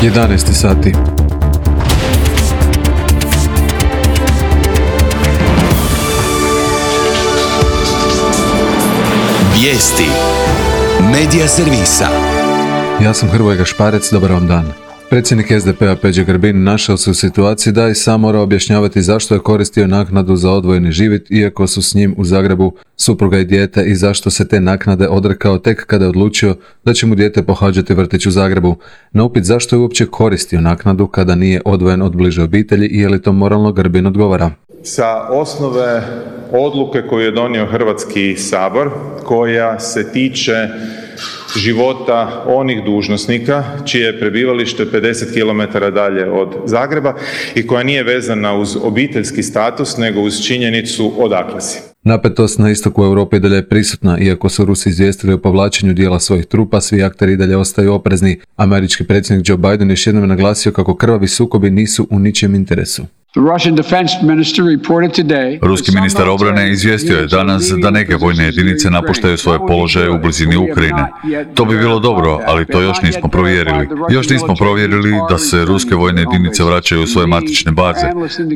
11 sati. Vijesti Medija servisa. Ja sam Hrvoje Gašparec, dobar vam dan. Predsjednik SDP-a Peđa Grbin našao se u situaciji da i sam mora objašnjavati zašto je koristio naknadu za odvojeni život, iako su s njim u Zagrebu supruga i dijete, i zašto se te naknade odrekao tek kada je odlučio da će mu dijete pohađati vrtić u Zagrebu. Na upit zašto je uopće koristio naknadu kada nije odvojen od bliže obitelji i je li to moralno, Grbin odgovara. Sa osnove odluke koju je donio Hrvatski sabor, koja se tiče života onih dužnosnika čije je prebivalište 50 km dalje od Zagreba i koja nije vezana uz obiteljski status, nego uz činjenicu odakle si. Napetost na istoku Europe i dalje je prisutna, iako su Rusi izvijestili o povlačenju dijela svojih trupa, svi akteri i dalje ostaju oprezni. Američki predsjednik Joe Biden još jednom naglasio kako krvavi sukobi nisu u ničijem interesu. Ruski ministar obrane izvijestio je danas da neke vojne jedinice napuštaju svoje položaje u blizini Ukrajine. To bi bilo dobro, ali to još nismo provjerili. Još nismo provjerili da se ruske vojne jedinice vraćaju u svoje matične baze.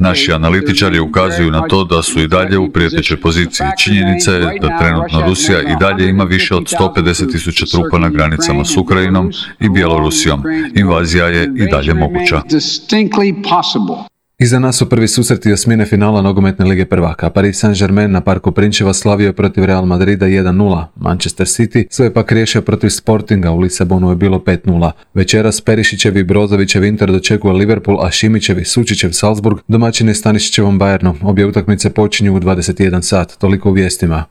Naši analitičari ukazuju na to da su i dalje u prijetećoj poziciji. Činjenica je da trenutno Rusija i dalje ima više od 150.000 trupa na granicama s Ukrajinom i Bjelorusijom. Invazija je i dalje moguća. Iza nas su prvi susreti osmine finala nogometne lige prvaka. Paris Saint-Germain na Parku Prinčeva slavio je protiv Real Madrida 1-0. Manchester City svoje pak riješio protiv Sportinga, u Lisabonu je bilo 5-0. Večeras Perišićevi i Brozovićev Inter dočekuje Liverpool, a Šimićev i Sučićev Salzburg domaćine Stanišićevom Bayernu. Obje utakmice počinju u 21 sat, toliko u vijestima.